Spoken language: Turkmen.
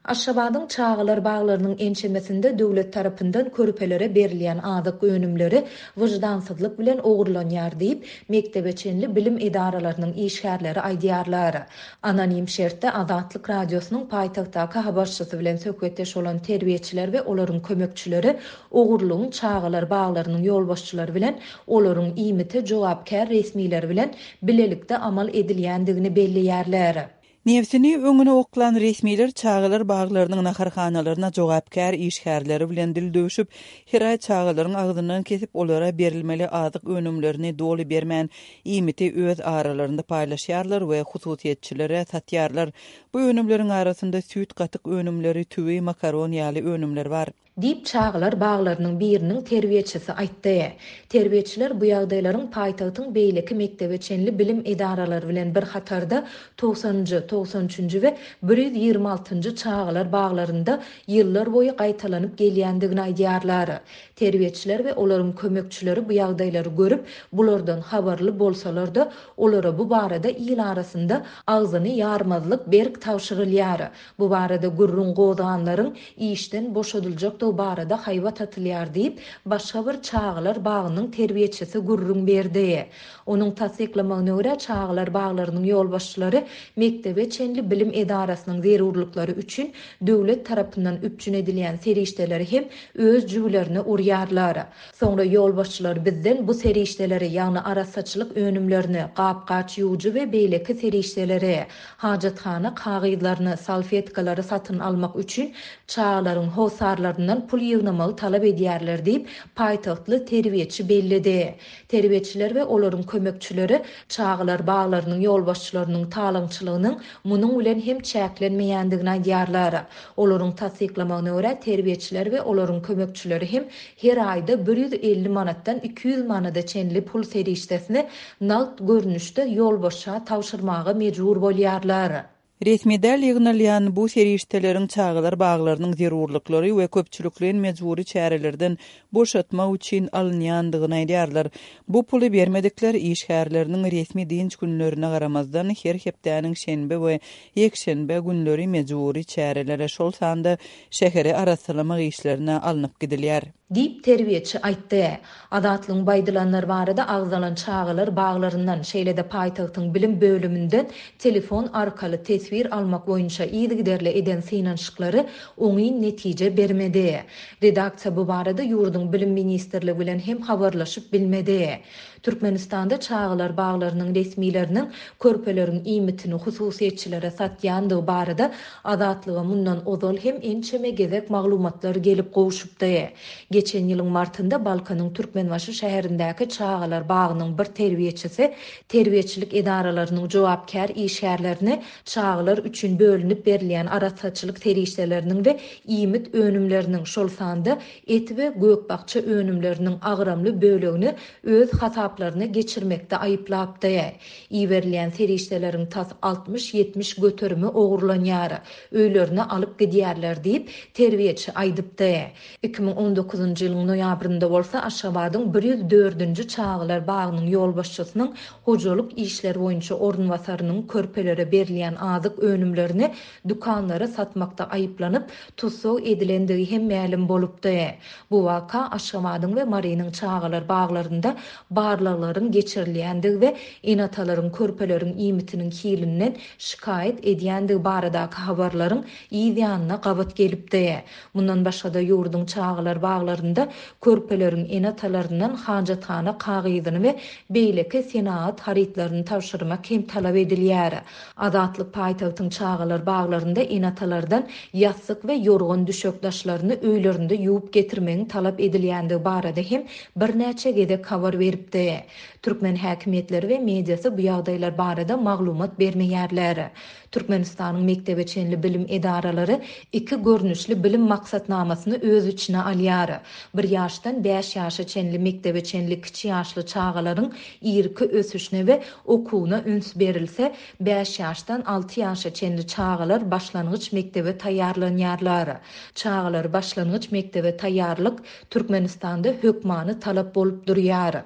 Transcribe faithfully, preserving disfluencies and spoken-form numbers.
Aşgabadyň çagalar baglarynyň ençemesinde döwlet tarapyndan körpelere berilýän azyk önümleri wyždansyzlyk bilen ogurlanýar diýip, mekdebe çenli bilim edaralarynyň işgärleri aýdýarlar. Anonim şertde Azatlyk Radiosynyň paýtagtdaky habarçysy bilen söhbetdeş bolan terbiýeçiler we olaryň kömekçileri ogurlygyň çagalar baglarynyň ýolbaşçylary bilen olaryň iýmite jogapkär resmileri bilen bilelikde amal edilýändigini belleýärler. Nebsini öňüne oklan resmiler çagalar baglarynyň naharhanalaryna jogapkär işgärleri bilen dil döwşüp, her aý çagalaryň agzyndan kesip olara berilmeli azyk önümlerini doly bermän, iýmiti öz aralarynda paýlaşýarlar we hususyýetçilere satýarlar. Bu önümleriň arasynda süýt gatyk önümleri, tüwi, makaron ýaly önümler bar. Diýip, çagalar baglarynyň biriniň terbiýeçisi aýtdy. Terbiýeçiler bu ýagdaýlaryň paýtagtyň beýleki mekdebe çenli bilim edaralary bilen bir hatarda togsanynjy, togsan üçünji we bir ýüz ýigrimi altynjy çagalar baglarynda ýyllar boýy gaýtalanyp gelýändigini aýdýarlar. Terbiýeçiler we olaryň kömekçileri bu ýagdaýlary görüp, bulardan habarly bolsalar-da, olara bu barada il arasynda agzyny ýarmazlyk berk tabşyrylýar. Bu barada gürrüň gozganlaryň işden boşadyljakdygy barada haýbat atylýar diýip, başga bir çagalar bagynyň terbiýeçisi gürrüň berdi. Onuň tassyklamagyna görä, çagalar baglarynyň ýolbaşçylary mekdebe çenli bilim edarasynyň zerurlyklary üçin döwlet tarapyndan üpjün edilýän serişdeleri hem öz jübülerine urýarlar. Soňra ýolbaşçylar bizden bu serişdeleri, ýagny arassaçylyk önümlerini, gap-gaç ýuwujy we beýleki serişdeleri, hajathana kagyzlaryny, salfetkalary satyn almak üçin çagalaryň hossarlaryndan pul ýygnamagy talap edýärler diýip, paýtagtly terbiýeçi belledi. Terbiýeçiler we olaryň kömekçileri çagalar baglarynyň ýolbaşçylarynyň talaňçylygynyň munuň bilen hem çäklenmeýändigini aýdýarlar. Olaryň tassyklamagyna görä, terbiýeçiler we olaryň kömekçileri hem her aýda bir ýüz elli manatdan iki ýüz manada çenli pul serişdesini nagt görnüşde ýolbaşça tabşyrmaga mejbur bolýarlar. Resmi däl ýygnalýan bu serişdeleriň çagalar baglarynyň zerurlyklary we köpçülikleýin mejbury çärelerden boşatmak üçin alynýandygyny aýdýarlar. Bu puly bermedikler işgärleriniň resmi dynç günlerine garamazdan her hepdäniň şenbe we ýekşenbe günleri mejbury çärelere, şol sanda şäheri arassalamak işlerine alnyp gidilýär. Diýip terbiýeçi aýtdy. Azatlygyň baýdylanlar barada agzalan çagalar baglaryndan, şeýle-de paýtagtyň bilim bölüminden telefon arkaly teswir almak boýunça yzygiderli eden synanyşyklary oňyn netije bermedi. Redaksiýa bu barada ýurduň bilim ministrligi bilen hem habarlaşyp bilmedi. Türkmenistanda çagalar baglarynyň resmileriniň körpeleriň iýmitini hususyýetçilere satýandygy barada Azatlyga mundan ozal hem ençeme gezek maglumatlar gelip gowşupdy. Geçen ýylyň martynda Balkanyň Türkmenbaşy şäherindäki çagalar bagynyň bir terbiýeçisi terbiýeçilik edaralarynyň jogapkär işgärlerini çagalar üçin bölünip berilýän arassaçylyk serişdeleriniň we iýmit önümleriniň, şol sanda et we gök-bakja önümleriniň agramly bölegini öz hasaplaryna geçirmekde aýyplapdy. Iberilýän serişdeleriň tas altmyş ýetmiş göterimi ogurlanýar, öýlerine alyp gidýärler diýip, terbiýeçi aýdypdy. Iki müň on dokuzynjy ýylyň noýabrynda bolsa Aşgabadyň bir ýüz dördünji çagalar bagynyň ýolbaşçysynyň hojalyk işleri boýunça orunbasarynyň körpelere berilýän azyk önümlerini dükanlara satmakda aýyplanyp, tussag edilendigi hem mälim bolupdy. Bu waka Aşgabadyň we Marynyň çagalar baglarynda barlaglaryň geçirilýändigi we ene-atalaryň körpeleriň iýmitiniň hilinden şikaýat edýändigi baradaky habarlaryň yz ýanyna gabat gelipdi. Mundan başga-da ýurduň çagalar baglarynda körpeleriň ene-atalaryndan hajathana kagyzyny we beýleki senagat harytlaryny tabşyrmak hem talap edilýär. Azatlyk paýtagtyň çagalar baglarynda ene-atalardan ýassyk we ýorgan düşek daşlaryny öýlerinde ýuwup getirmegiň talap edilýändigi barada hem birnäçe gezek habar beripdi. Türkmen häkimiýetleri we mediasy bu ýagdaýlar barada maglumat bermeýärler. Türkmenistanyň mekdebe çenli bilim edaralary iki görnüşli bilim maksatnamasyny öz içine alýar. Bir ýaşdan bäş ýaşa çenli mekdebe çenli kiçi ýaşly çagalaryň irki ösüşine we okuwyna üns berilse, bäş ýaşdan alty ýaşa çenli çagalar başlangyç mekdebe taýýarlanýarlar. Çagalar başlangyç mekdebe taýýarlyk Türkmenistanda hökmany talap bolup durýar.